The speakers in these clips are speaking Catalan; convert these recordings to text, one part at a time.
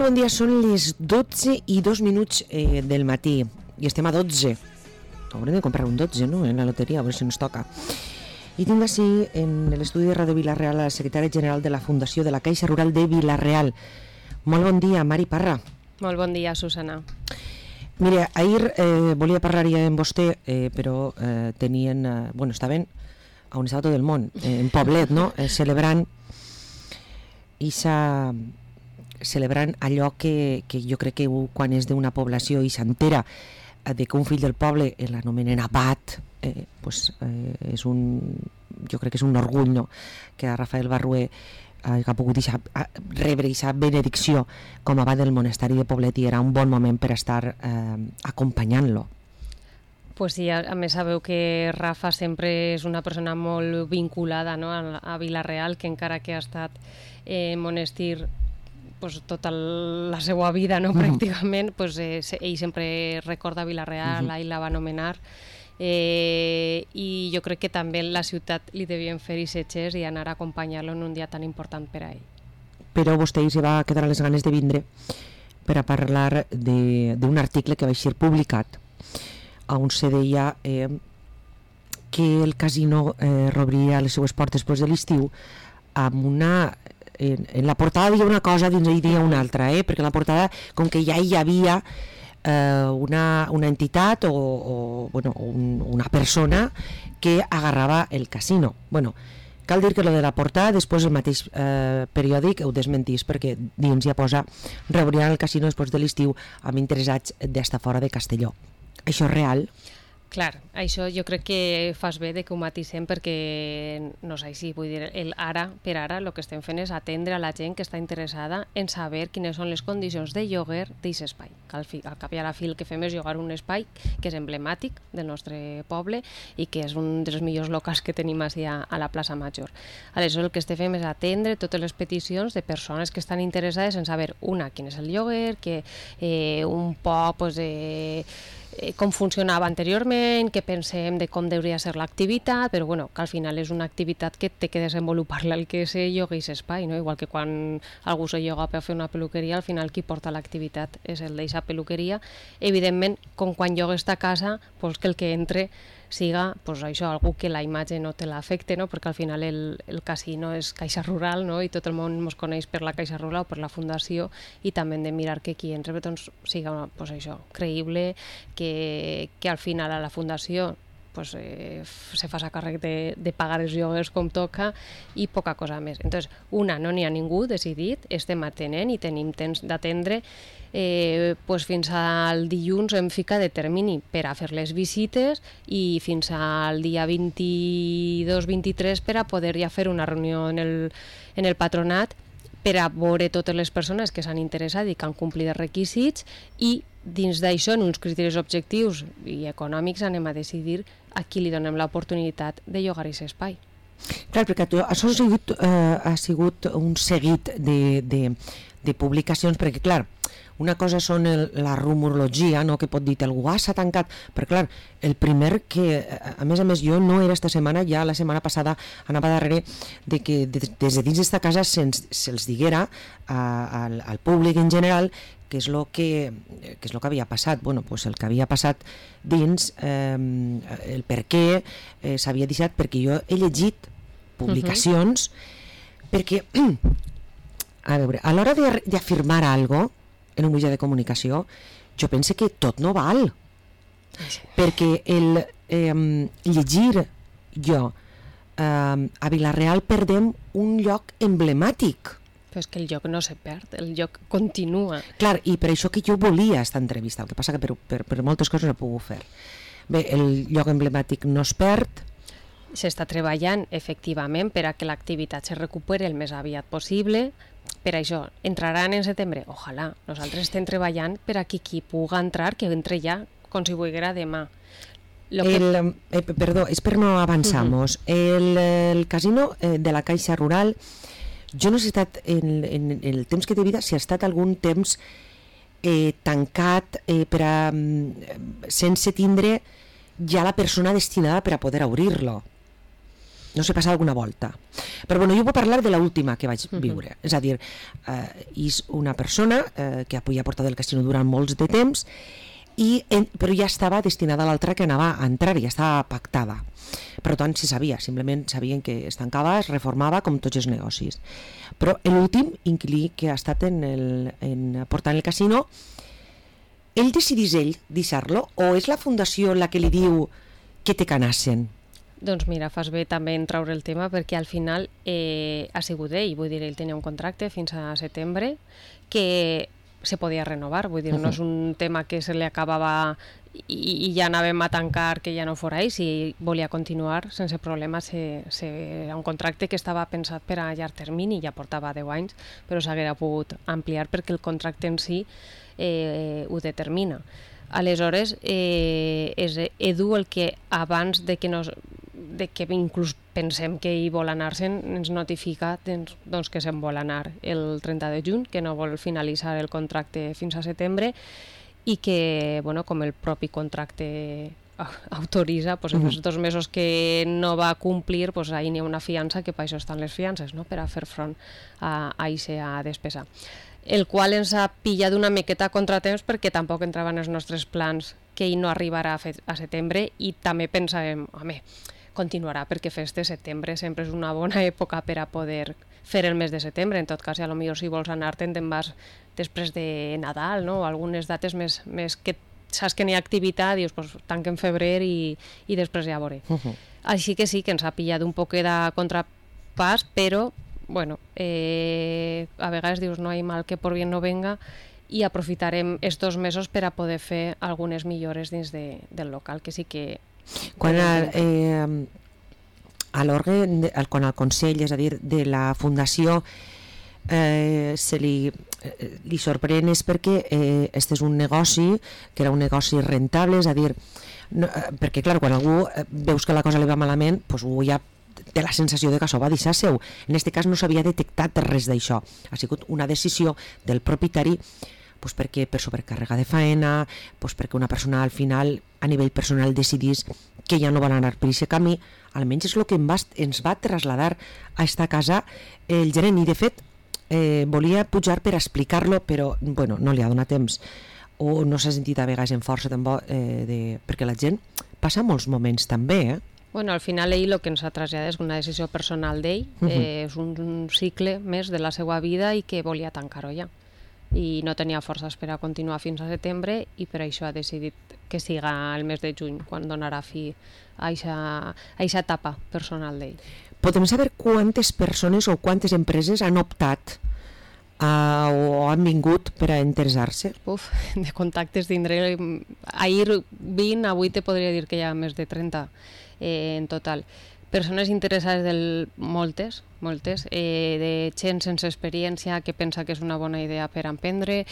bon dia, són les 12:02 del matí i estem a 12. Haurem de comprar un 12, no?, en la loteria, a veure si ens toca. I tinc així en l'estudi de Ràdio Vila-real a la secretària general de la Fundació de la Caixa Rural de Vila-real. Molt bon dia, Mari Parra. Molt bon dia, Susana. Mira, ahir volia parlar ja amb vostè, però tenien... estaven on estava tot el món, en Poblet, no?, celebrant allò que jo crec que quan és d'una població i s'entera de que un fill del poble l'anomenen abat, jo crec que és un orgull, no?, que a Rafael Barrué ha pogut rebre aquesta benedicció com a abat del monasteri de Poblet, i era un bon moment per estar acompanyant-lo. Pues sí, a més sabeu que Rafa sempre és una persona molt vinculada, no?, a Vila-real, que encara que ha estat monestir tota la seva vida, no?, pràcticament, ell sempre recorda Vila-real, ell la va anomenar, i jo crec que també la ciutat li devien fer setges i anar a acompanyar-lo en un dia tan important per a ell. Però vostè hi va quedar les ganes de vindre per a parlar d'un article que va ser publicat on se deia que el casino reobria les seues portes després de l'estiu amb una... En la portada hi ha una cosa, dins hi ha una altra, perquè en la portada, com que ja hi havia una entitat o una persona que agarrava el casino. Cal dir que lo de la portada després el mateix periòdic ho desmentís, perquè dins ja posa reobriran el casino després de l'estiu amb interessats d'estar fora de Castelló. Això és real? Clar, això jo crec que fas bé de que ho matisem, perquè no sé si vull dir, per ara el que estem fent és atendre a la gent que està interessada en saber quines són les condicions de lloguer d'aquest espai. Al cap i a la fi el que fem és llogar un espai que és emblemàtic del nostre poble i que és un dels millors locals que tenim a la plaça Major. Aleshores el que estem fent és atendre totes les peticions de persones que estan interessades en saber, quin és el lloguer, que un poc com funcionava anteriorment, què pensem de com hauria ser l'activitat, però que al final és una activitat que té que desenvolupar-la el que se lloga i s'espai, no? Igual que quan algú se lloga per fer una peluqueria, al final qui porta l'activitat és el d'eixa peluqueria. Evidentment, com quan llogues ta casa, que el que entre siga algú que la imatge no te l'afecte, no? Perquè al final el casino és Caixa Rural, no? I tot el món ens coneix per la Caixa Rural o per la Fundació, i també hem de mirar que qui entre siga creïble, que al final a la Fundació se fa a càrrec de pagar els lloguers com toca i poca cosa més. Entonces, no n'hi ha ningú decidit, estem atenent i tenim temps d'atendre. Fins al dilluns hem ficat de termini per a fer les visites i fins al dia 22-23 per a poder ja fer una reunió en el patronat per a veure totes les persones que s'han interessat i que han complit els requisits, i dins d'això, en uns criteris objectius i econòmics, anem a decidir a qui li donem l'oportunitat de llogar aquest espai. Clar, perquè això ha sigut un seguit de publicacions, perquè clar, una cosa són la rumorologia, no?, que pot dir algú, s'ha tancat, però clar, el primer que, a més jo no era esta setmana, ja la setmana passada anava darrere de que des de dins d'esta casa se'ls diguera al públic en general què és el que havia passat. El que havia passat dins, el per què s'havia deixat, perquè jo he llegit publicacions, perquè, a veure, a l'hora d'afirmar alguna cosa en un mitjà de comunicació, jo pense que tot no val, perquè el llegir jo a Vila-real perdem un lloc emblemàtic. Però és que el lloc no se perd, el lloc continua. Clar, i per això que jo volia esta entrevista, el que passa que per moltes coses no he pogut fer. Bé, el lloc emblemàtic no es perd. S'està treballant, efectivament, per a que l'activitat se recuperi el més aviat possible. Per això, entraran en setembre? Ojalà. Nosaltres estem treballant per a qui pugui entrar, que entre ja, com si volguera demà. Perdó, és per no avançar-nos. El casino de la Caixa Rural, jo no sé si ha estat, en el temps que té vida, si ha estat algun temps tancat sense tindre ja la persona destinada per a poder obrir-lo. no sé, passar alguna volta. Però bueno, jo puc parlar de l'última que vaig viure. És a dir, és una persona que havia portat el casino durant molts de temps, però ja estava destinada a l'altra que anava a entrar, ja estava pactada. Per tant, se sabia, simplement sabien que es tancava, es reformava com tots els negocis. Però l'últim inquilí que ha estat portant el casino, ell decidís deixar-lo o és la fundació la que li diu que te canassen? Doncs mira, fas bé també en traure el tema perquè al final ha sigut ell, vull dir, ell tenia un contracte fins a setembre que se podia renovar, vull dir, no és un tema que se li acabava i ja anàvem a tancar que ja no fora ell, si volia continuar sense problema, era un contracte que estava pensat per a llarg termini, ja portava 10 anys, però s'haguera pogut ampliar perquè el contracte en si ho determina. Aleshores, és Edu el que abans de que inclús pensem que hi vol anar-se'n, ens notifica doncs, que se'n vol anar el 30 de juny, que no vol finalitzar el contracte fins a setembre i que, bueno, com el propi contracte autoritza, doncs, els 2 mesos que no va complir, doncs, ahir n'hi ha una fiança, que per això estan les fiances, no? Per a fer front a aquesta despesa. El qual ens ha pillat una miqueta a contratemps perquè tampoc entrava en els nostres plans que ell no arribarà a setembre i també pensàvem, home, continuarà perquè festes, setembre sempre és una bona època per a poder fer el mes de setembre. En tot cas, potser si vols anar-te'n te'n vas després de Nadal, no? O algunes dates més que saps que n'hi ha activitat, dius, pues, tanquem febrer i després ja veuré. Així que sí, que ens ha pillat un poc de contrapàs, però bueno, a vegades dius no hi ha mal que por bien no venga i aprofitarem estos mesos per a poder fer algunes millores dins del local, que sí que... Quan a l'òrgan, quan al Consell, és a dir, de la Fundació li sorprèn és perquè este és un negoci que era un negoci rentable, és a dir, perquè clar, quan algú veus que la cosa li va malament, doncs ja té la sensació de que això va deixar seu. En aquest cas no s'havia detectat res d'això. Ha sigut una decisió del propietari perquè per sobrecàrrega de faena, perquè una persona al final a nivell personal decidís que ja no van anar per aquest camí. Almenys és el que ens va traslladar a esta casa el gerent i de fet volia pujar per explicar-lo, però bueno, no li ha donat temps o no s'ha sentit a vegades en força perquè la gent passa molts moments també, Bueno, al final ell el que ens ha traslladat és una decisió personal d'ell, és un cicle més de la seva vida i que volia tancar-ho ja. I no tenia forces per a continuar fins a setembre i per això ha decidit que siga el mes de juny, quan donarà fi a aquesta etapa personal d'ell. Podem saber quantes persones o quantes empreses han optat o han vingut per a interessar-se? De contactes tindré... Ahir 20, avui te podria dir que hi ha més de 30 en total. Persones interessades moltes, de gent sense experiència que pensa que és una bona idea per emprendre,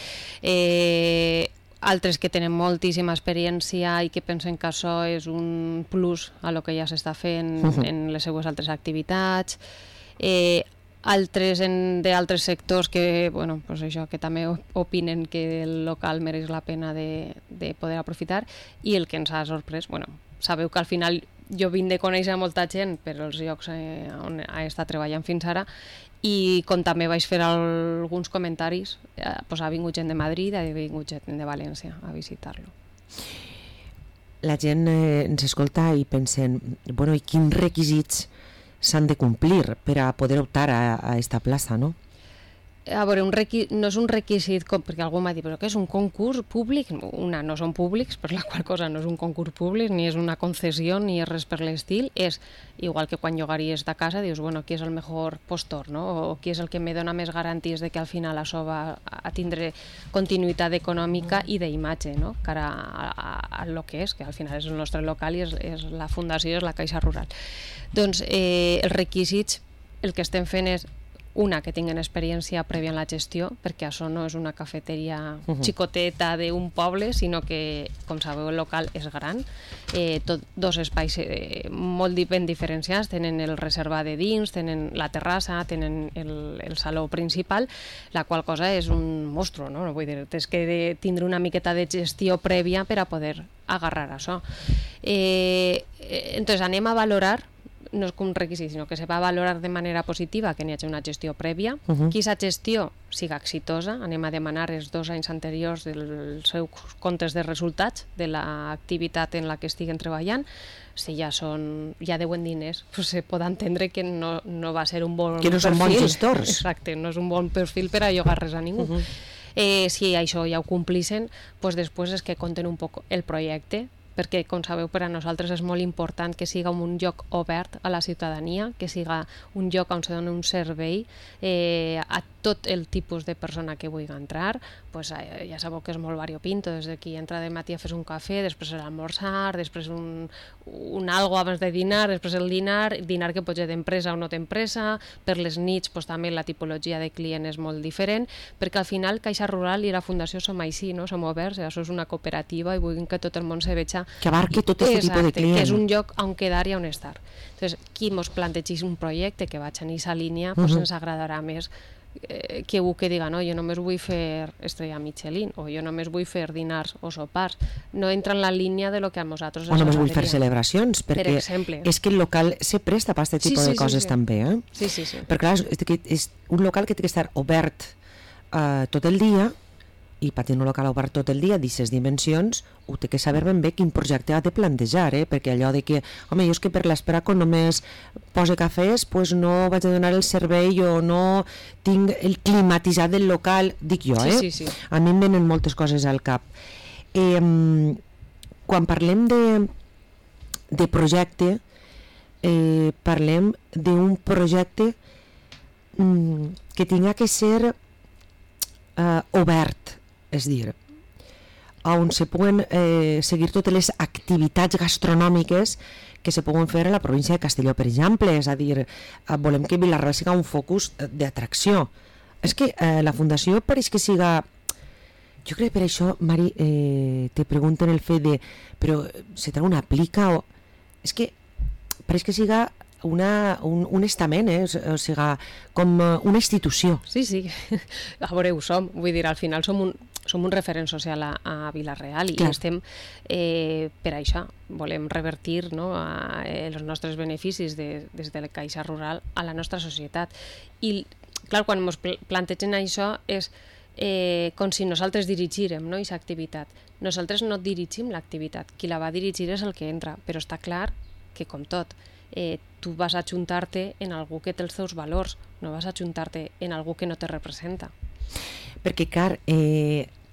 altres que tenen moltíssima experiència i que pensen que això és un plus a lo que ja s'està fent en les seues altres activitats, altres d'altres sectors que, bueno, pues això, que també opinen que el local mereix la pena de poder aprofitar, i el que ens ha sorprès, bueno, sabeu que al final jo vinc de conèixer molta gent per als llocs on he estat treballant fins ara, i com també vaig fer alguns comentaris, doncs ha vingut gent de Madrid, ha vingut gent de València a visitar-lo. La gent ens escolta i pensen, bueno, i quins requisits s'han de complir per a poder optar a esta plaça, no? A veure, no és un requisit, perquè algú m'ha dit, però què és un concurs públic? No són públics, per la qual cosa no és un concurs públic, ni és una concessió, ni és res per l'estil. És igual que quan llogaries de casa, dius, bueno, qui és el millor postor, no? O qui és el que me dona més garanties de que al final això va a tindre continuïtat econòmica i d'imatge, no? Cara a lo que és, que al final és el nostre local i és la fundació, és la Caixa Rural. Doncs els requisits, el que estem fent és que tinguen experiència prèvia en la gestió, perquè això no és una cafeteria xicoteta d'un poble, sinó que, com sabeu, el local és gran, dos espais molt ben diferenciats, tenen el reservat de dins, tenen la terrassa, tenen el saló principal, la qual cosa és un monstru, no? Vull dir, tens que tindre una miqueta de gestió prèvia per a poder agarrar això. Entonces anem a valorar no és com un requisit, sinó que se va valorar de manera positiva que n'hi hagi una gestió prèvia, que aquesta gestió siga exitosa, anem a demanar els 2 anys anteriors dels seus comptes de resultats de l'activitat en la que estiguen treballant. Si ja deuen diners, pues se pot entendre que no va ser un bon perfil. Que no són bons gestors. Exacte, no és un bon perfil per a llogar res a ningú. Si això ja ho complixen, pues després és que compten un poc el projecte, perquè, com sabeu, per a nosaltres és molt important que siga un lloc obert a la ciutadania, que siga un lloc on se doni un servei a tot el tipus de persona que vulgui entrar. Pues, ja sabeu que és molt variopinto, des de qui entra de matí a fer un cafè, després l'almorzar, després un algo abans de dinar, després el dinar que pot ser d'empresa o no d'empresa, per les nits pues, també la tipologia de client és molt diferent, perquè al final Caixa Rural i la Fundació som així, no? Som oberts, això és una cooperativa i vulguin que tot el món se veja que abarque tot aquest tipus de client. Que és un lloc on quedar i on estar. Entonces, qui mos plantegi un projecte que vaig en aquesta línia, pues ens agradarà més que algú que diga, no, jo només vull fer estrella Michelin, o jo només vull fer dinars o sopars. No entra en la línia de lo que a nosaltres... O només vull fer celebracions, perquè és que el local se presta per aquest tipus de coses també. Sí. Perquè clar, és un local que té que estar obert tot el dia, i per tenir un local obert tot el dia d'aquestes dimensions ho té que saber ben bé quin projecte ha de plantejar, perquè allò de que home, jo és que per l'espera quan només pose cafès pues no vaig a donar el servei o no tinc el climatitzat del local, dic jo, Sí. A mi em venen moltes coses al cap. Quan parlem de projecte parlem d'un projecte que tinga que ser obert, és a dir, on se puguen seguir totes les activitats gastronòmiques que se poden fer a la província de Castelló, per exemple. És a dir, volem que Vila-real siga un focus d'atracció. És que la Fundació pareix que siga... Jo crec que per això, Mari, te pregunten el fet de... Però se trau una plica o... És que pareix que siga un estament, o sigui, com una institució. Sí. A veure, ho som. Vull dir, al final som un referent social a Vila-real i estem per això. Volem revertir els nostres beneficis des de la Caixa Rural a la nostra societat. I, clar, quan ens plantegen això és com si nosaltres dirigírem aquesta activitat. Nosaltres no dirigim l'activitat. Qui la va dirigir és el que entra, però està clar que, com tot, tu vas a ajuntar-te en algú que té els teus valors, no vas a ajuntar-te en algú que no te representa. Perquè, clar,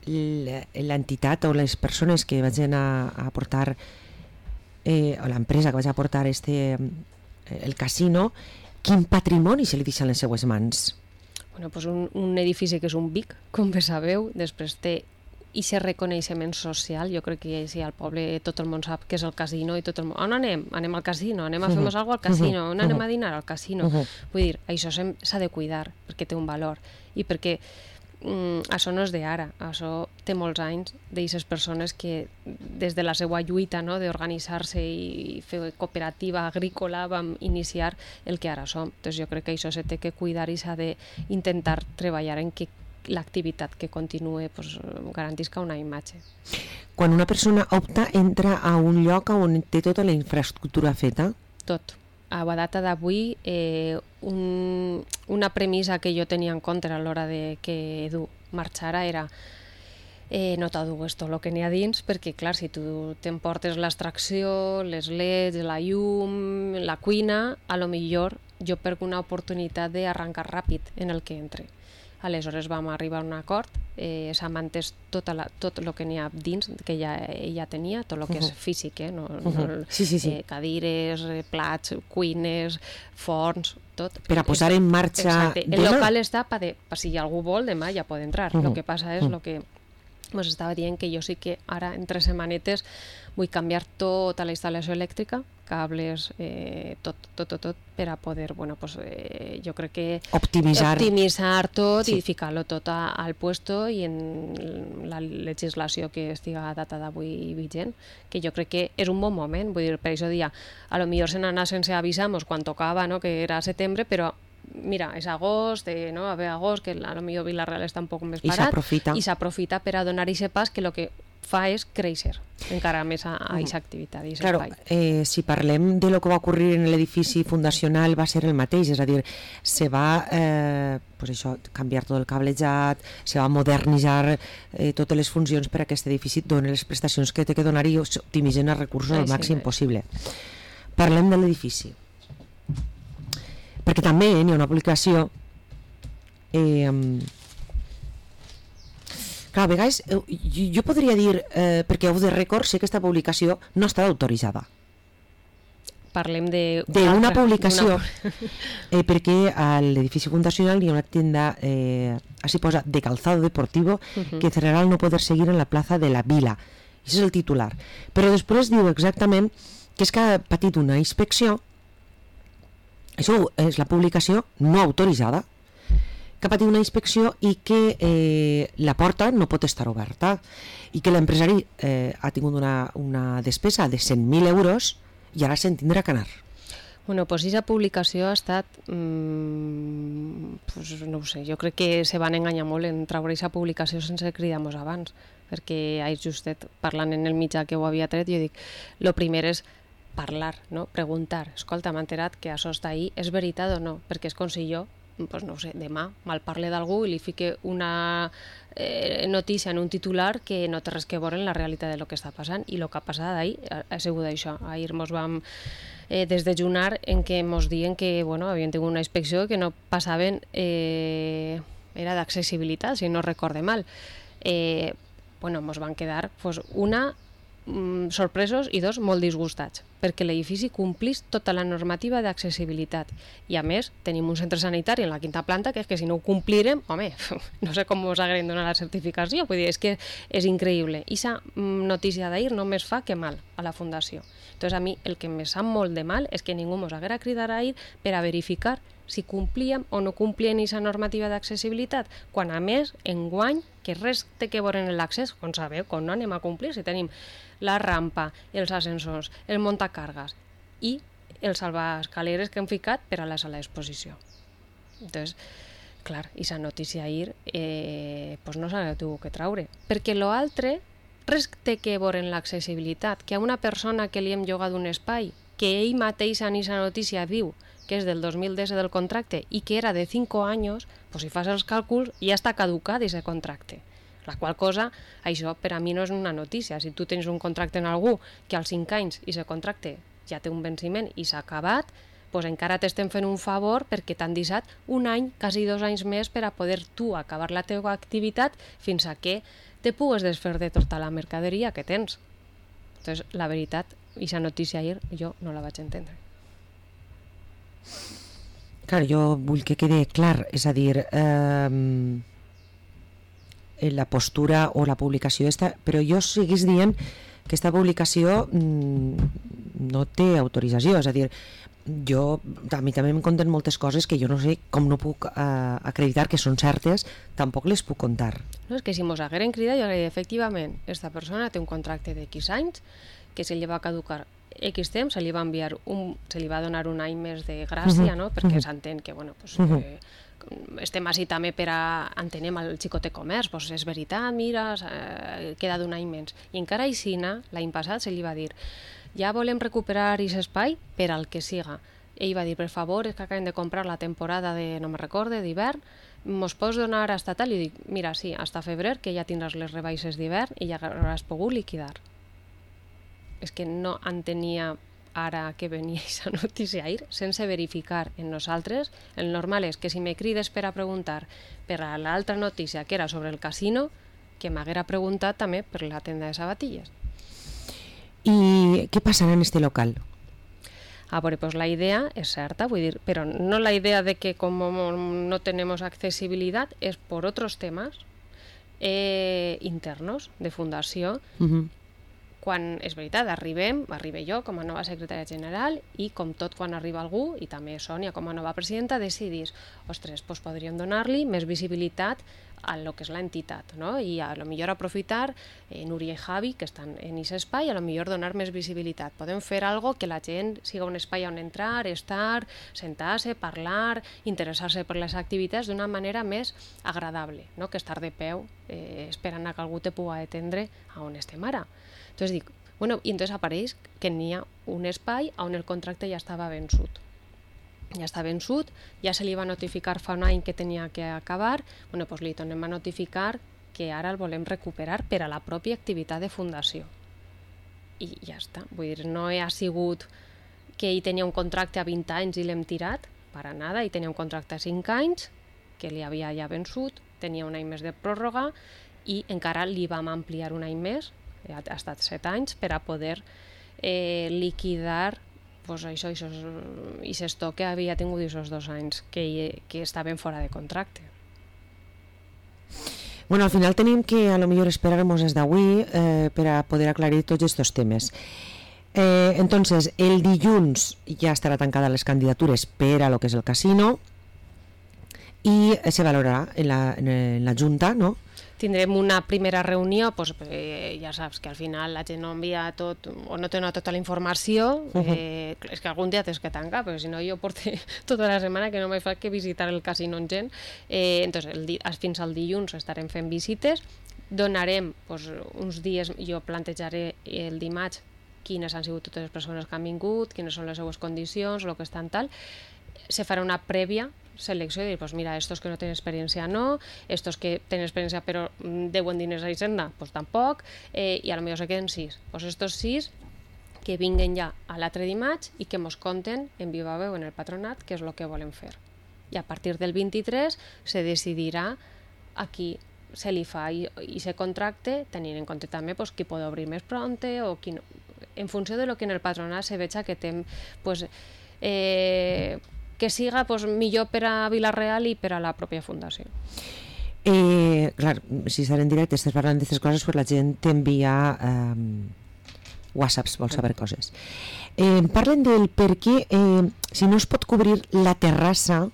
l'entitat o les persones que vagin a portar o l'empresa que vagi a portar el casino, quin patrimoni se li deixa en les seues mans? Bueno, pues un edifici que és un BIC, com bé sabeu, després té i aquest reconeixement social. Jo crec que si al poble tot el món sap què és el casino i tot el món... On anem? Anem al casino, anem a fer alguna cosa al casino, on anem a dinar? Al casino. Vull dir, això s'ha de cuidar perquè té un valor i perquè això no és d'ara, això té molts anys d'aquestes persones que des de la seva lluita d'organitzar-se i fer cooperativa agrícola vam iniciar el que ara som. Entonces jo crec que això s'ha de cuidar i s'ha d'intentar treballar en que l'activitat que continue garantisca una imatge. Quan una persona opta, entra a un lloc on té tota la infraestructura feta? Tot. A la data d'avui, una premissa que jo tenia en compte a l'hora de que Edu marxara era no t'adugues tot el que n'hi ha dins, perquè clar, si tu t'emportes l'extracció, les leds, la llum, la cuina, a lo millor jo perdo una oportunitat d'arrencar ràpid en el que entre. Aleshores vam arribar a un acord, s'ha mantès tot el que n'hi ha dins, que ella tenia, tot el que és físic, cadires, plats, cuines, forns, tot. Per a posar en marxa... Exacte. El local està per si algú vol, demà ja pot entrar. El que passa és el que us estava dient, que jo sí que ara en 3 setmanetes vull canviar tota la instal·lació elèctrica, cables, tot, per a poder, jo crec que optimitzar tot i ficar-lo tot al puesto i en la legislació que estiga a data d'avui vigent, que jo crec que és un bon moment. Vull dir, per això dia, a lo millor se n'anà sense avisar-nos quan tocava, que era setembre, però mira, és agost, a ver agost, que a lo millor Vila-real està un poc més parat, i s'aprofita per a donar aquest pas que el que fa és créixer encara més a aquesta activitat. Claro, si parlem de lo que va ocurrir en l'edifici fundacional va ser el mateix, és a dir, se va pues això, canviar tot el cablejat, se va modernitzar totes les funcions per a aquest edifici, dona les prestacions que té que donar i optimitzen els recursos al màxim possible. Parlem de l'edifici. Perquè també hi ha una publicació clar, a vegades jo podria dir, perquè Off the Record sé que aquesta publicació no està autoritzada. Parlem d'una publicació, perquè a l'edifici fundacional hi ha una tienda, així posa, de calzado deportivo, que cerrarà al no poder seguir en la plaza de la Vila. Això és el titular. Però després diu exactament que és que ha patit una inspecció, això és la publicació no autoritzada, que ha patit una inspecció i que la porta no pot estar oberta i que l'empresari ha tingut una despesa de 100.000 euros i ara se'n tindrà que anar. Bueno, doncs aquesta publicació ha estat, pues, no ho sé, jo crec que se van enganyar molt en treure aquesta publicació sense cridar-nos abans, perquè ahir justet parlant en el mitjà que ho havia tret, jo dic, lo primer és parlar, no? Preguntar, escolta, m'ha enterat que això està ahí, és veritat o no? Perquè és com si jo, pues no ho sé, demà malparle d'algú i li fique una notícia en un titular que no té res que veure en la realitat de lo que està passant, i el que ha passat ahir ha sigut això. Ahir mos vam desdejunar en què mos diuen que havien tingut una inspecció que no passaven, era d'accessibilitat, si no recorde mal. Mos van quedar una, sorpresos, i dos, molt disgustats, perquè l'edifici complís tota la normativa d'accessibilitat, i a més tenim un centre sanitari en la quinta planta que és que si no ho complirem, home, no sé com us haguem donat la certificació, vull dir, és que és increïble. I aquesta notícia d'ahir només fa que mal a la fundació. Entonces a mi el que me sap molt de mal és que ningú mos haguera cridat ahir per a verificar si complíem o no complíem aquesta normativa d'accessibilitat, quan a més, enguany, que res té que veure en l'accés, com sabeu, com no anem a complir, si tenim la rampa, els ascensors, el muntacargues i els salvaescaleres que hem ficat per a la sala d'exposició. Entonces, clar, aquesta notícia ahir no s'ha tingut que traure, perquè l'altre res té que veure en l'accessibilitat, que a una persona que li hem llogat un espai, que ell mateix en aquesta notícia diu que és del 2010 del contracte i que era de 5 anys, doncs si fas els càlculs ja està caducat aquest contracte. La qual cosa, això per a mi no és una notícia. Si tu tens un contracte en algú que als 5 anys aquest contracte ja té un venciment i s'ha acabat, doncs encara t'estem fent un favor perquè t'han deixat un any, quasi 2 anys més per a poder tu acabar la teva activitat fins a que te pugues desfer de tota la mercaderia que tens. Entonces, la veritat, aquesta notícia ahir jo no la vaig entendre. Clar, jo vull que quede clar, és a dir, la postura o la publicació però jo seguís dient que aquesta publicació no té autorització, és a dir, a mi també em conten moltes coses que jo no sé com no puc acreditar que són certes, tampoc les puc contar. No, és que si mos hagueren cridat jo diria, efectivament, aquesta persona té un contracte de X anys que se li va caducar X temps, se li va enviar se li va donar un any més de gràcia, no? Perquè s'entén que, estem així també per a entenem el xicotet comerç, és veritat, mira, queda d'un any menys. I encara així, l'any passat se li va dir, ja volem recuperar aquest espai per al que siga. Ell va dir, per favor, és que acabem de comprar la temporada de, no me recorde, d'hivern, mos pots donar hasta tal? I dic, mira, sí, hasta febrer, que ja tindràs les rebaixes d'hivern i ja hauràs pogut liquidar. És que no entenia ara que venia aquesta notícia ahir sense verificar en nosaltres. El normal és que si me crides per a preguntar per a l'altra notícia que era sobre el casino, que m'haguera preguntat també per la tenda de sabatilles. I què passarà en este local? A veure, pues la idea és certa, vull dir, però no la idea de que com no tenemos accesibilidad és por otros temas internos de fundació. Quan, és veritat, arribe jo com a nova secretària general i com tot quan arriba algú, i també Sònia com a nova presidenta, decidís, ostres, doncs podríem donar-li més visibilitat a lo que és l'entitat, no? I a lo millor aprofitar Núria i Javi, que estan en aquest espai, a lo millor donar més visibilitat. Podem fer algo que la gent siga un espai on entrar, estar, sentar-se, parlar, interessar-se per les activitats d'una manera més agradable, no? Que estar de peu esperant a que algú te pugui atendre a on estem ara. Entonces dic, bueno, i entonces apareix que n'hi ha un espai on el contracte ja estava vençut. Ja està vençut, ja se li va notificar fa un any que tenia que acabar, bueno, doncs li tornem a notificar que ara el volem recuperar per a la pròpia activitat de fundació. I ja està, vull dir, no ha sigut que ell tenia un contracte a 20 anys i l'hem tirat, per a nada, ell tenia un contracte a 5 anys, que li havia ja vençut, tenia un any més de pròrroga i encara li vam ampliar un any més, ha estat 7 anys, per a poder liquidar pues això i s'estoc que havia tingut aquests 2 anys que estaven fora de contracte. Bueno, al final tenim que a lo millor esperar-nos des d'avui per a poder aclarir tots aquests temes. Entonces, el dilluns ja estarà tancada les candidatures per a lo que és el casino i se valorarà en la Junta, no? Tindrem una primera reunió, doncs, ja saps que al final la gent no envia tot o no té tota la informació, és que algun dia tens que tancar, però si no jo porto tota la setmana que no m'he fet que visitar el casino amb gent. Entonces, fins al dilluns estarem fent visites, donarem uns dies, jo plantejaré el dimarts quines han sigut totes les persones que han vingut, quines són les seues condicions, el que estan tal, se farà una prèvia selecció i dir, pues mira, estos que no tenen experiència no, estos que tenen experiència però deuen diners a Hisenda, pues tampoc, i a lo millor se queden 6. Pues estos 6 que vinguen ja a l'altre dimarts i que mos conten en viva veu en el patronat què és el que volen fer. I a partir del 23 se decidirà a qui se li fa i se contracte, tenint en compte també pues, qui pot obrir més pronte o qui no. En funció de lo que en el patronat se veja que té pues, que siga pues, millor per a Vila-real i per a la pròpia fundació. Clar, si estan en directe, estàs parlant d'aquestes coses, pues la gent t'envia whatsapps, vol saber coses. Parlen del per què, si no es pot cobrir la terrassa,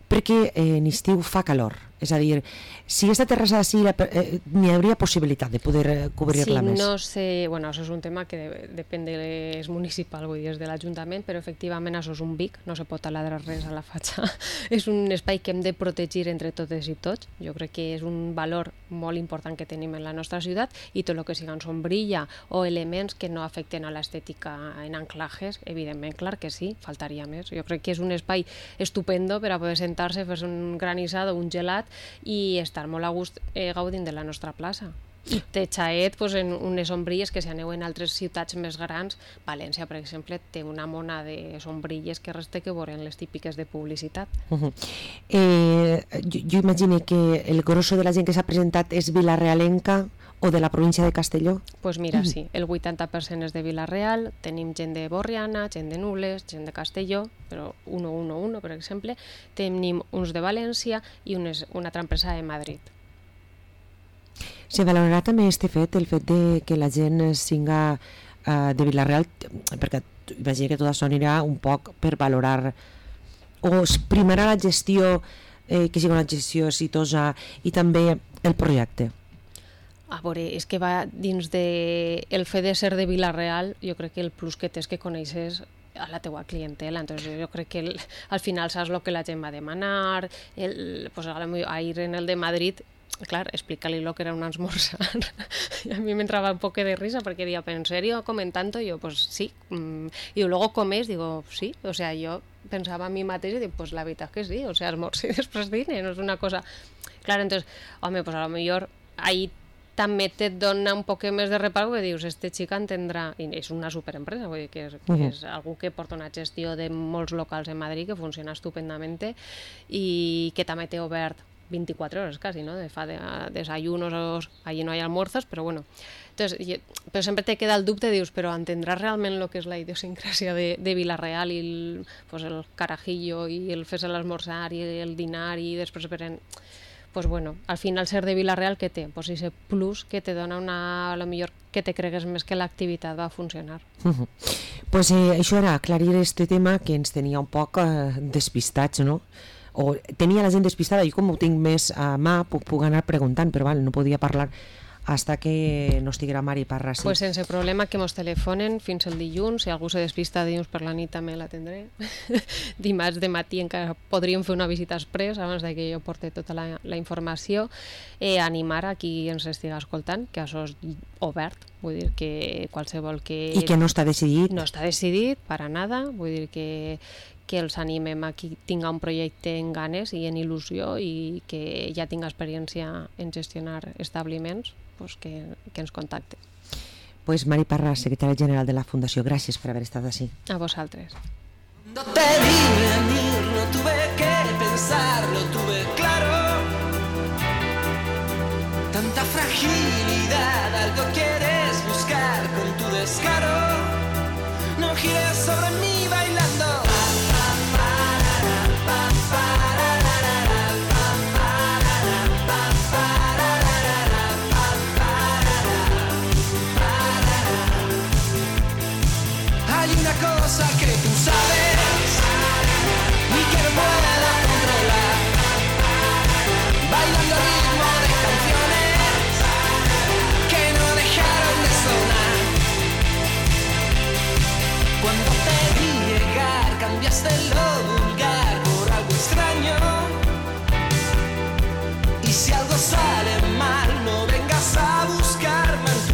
perquè en estiu fa calor. És a dir, si aquesta terrassa sí, n'hi hauria possibilitat de poder cobrir-la més. No sé, bueno, això és un tema que depèn és municipal, vull dir, és de l'Ajuntament, però efectivament això és un vic, no se pot taladrar res a la fatxa. És un espai que hem de protegir entre totes i tots. Jo crec que és un valor molt important que tenim en la nostra ciutat i tot el que siguen sombrilla o elements que no afecten a l'estètica en anclajes, evidentment, clar que sí, faltaria més. Jo crec que és un espai estupendo per a poder sentar-se, fer un granissado, un gelat i estar molt a gust gaudint de la nostra plaça. I té xaet en unes sombrilles que si aneu en altres ciutats més grans, València, per exemple, té una mona de sombrilles que res té que veure en les típiques de publicitat. Jo imagino que el grosso de la gent que s'ha presentat és vilarealenca o de la província de Castelló? Pues mira, sí, el 80% és de Vila-real, tenim gent de Borriana, gent de Nules, gent de Castelló, però 111, per exemple, tenim uns de València i una altra empresa de Madrid. Se valorarà també el fet de que la gent siga de Vila-real, perquè imagino que tot això anirà un poc per valorar o es primarà la gestió, que sigui una gestió exitosa i també el projecte. A veure, és que va dins del fet de ser de Vila-real, jo crec que el plus que té és que coneixes a la teua clientela, entonces jo crec que al final saps el que la gent va demanar, ahir en el de Madrid, clar, explica-li lo que era un esmorzar. Y a mí me entraba un poco de risa porque digo, ¿pero en serio comen tanto? Y yo, pues sí. Y luego comes, digo, sí. O sea, yo pensaba a mi mateix y digo, pues la veritat que sí. O sea, esmorzo y després dine, no és una cosa... Clar, entonces, home, pues a lo millor ahí també te dona un poc més de reparo perquè dius, este xic entendrà, i és una superempresa, vull dir que és algú que porta una gestió de molts locals en Madrid que funciona estupendament i que també té obert 24 hores quasi, ¿no? Fa desayunos, allí no hay almuerzos, pero bueno. Entonces, pero siempre te queda el dubte, dius, pero entendràs realment lo que és la idiosincràsia de Vila-real i el carajillo i el fer-se l'esmorzar i el dinar i després veren... Pues bueno, al final ser de Vila-real què té? Pues ese plus que te dona a lo millor que te cregues més que l'activitat va funcionar. Pues això era aclarir este tema que ens tenia un poc despistats, no? o tenia la gent despistada. Jo com ho tinc més a mà puc anar preguntant, però no podia parlar hasta que no estiguera Mari Parra. Sí. Pues sense problema, que mos telefonen fins el dilluns. Si algú se despista dilluns per la nit també l'atendré. Dimarts de matí encara podríem fer una visita express abans que jo porte tota la informació. Animar a qui ens estiga escoltant, que això és obert, vull dir que qualsevol que... I que no està decidit. No està decidit, para nada, vull dir que els animem a qui tinga un projecte en ganes i en il·lusió i que ja tinga experiència en gestionar establiments, pues que ens contacte. Pues Mari Parra, secretària general de la Fundació, gràcies per haver estat així. A vosaltres. No te vi venir, no tuve que pensar, lo tuve claro. Tanta fragilidad, algo quieres buscar con tu descaro. No gires sobre mí bailando. Hay una cosa que tú sabes y que no puedo controlar, bailando al ritmo de canciones que no dejaron de sonar. Cuando te vi llegar cambiaste lo vulgar por algo extraño, y si algo sale mal no ves